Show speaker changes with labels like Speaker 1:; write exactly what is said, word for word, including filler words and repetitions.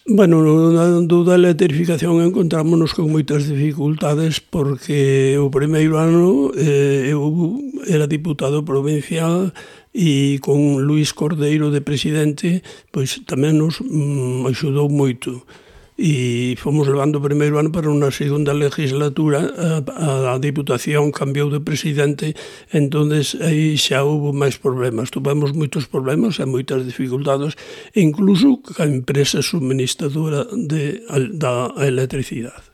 Speaker 1: Bueno, na dúda electrificación encontrámonos con moitas dificultades porque o primeiro ano eh, eu era diputado provincial e con Luís Cordeiro de presidente pois tamén nos mm, axudou moito e fomos levando o primeiro ano para unha segunda legislatura a, a Diputación cambiou de presidente, entonces aí xa houve máis problemas, tuvemos moitos problemas e moitas dificultades, incluso ca empresa suministradora de, da electricidade.